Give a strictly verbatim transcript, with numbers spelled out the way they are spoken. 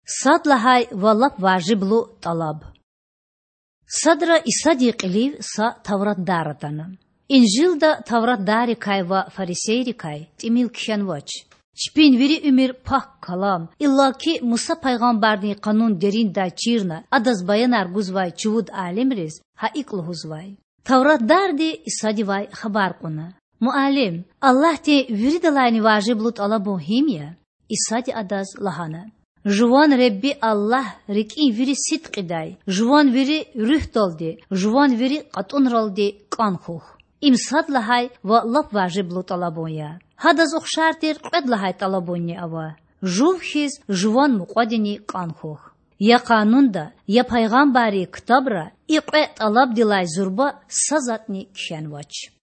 Сад лагьай ва лап важиблу тІалаб. Садра Исадин кьилив са тавратдар атана. Инжилда тавратдаррикай ва фарисейрикай тІимил кхьенвач. Чпин вири уьмуьр Пак Калам, иллаки Муса пайгъамбардин къанун дериндай чирна адаз баянар гузвай чувуд алимриз гьа икІ лугьузвай. Тавратдарди Исадивай хабар кьуна: Муаллим, Аллагьдин виридалайни важиблу тІалабун гьим я? Исади адаз лагьана: Жуван Худа Аллагь рикІин вири сидкьидай, жуван вири руьгьдалди, жуван вири кьатІунралди кІан хьухь. Им сад лагьай ва лап важиблу тІалабун я. Гьадаз ухшар тир кьвед лагьай тІалабунни ава: жув хьиз жуван мукьвадини кІан хьухь. Я Къанунда, я пайгъамбаррин ктабра и кьве тІалабдилай зурба са затІни кхьенвач.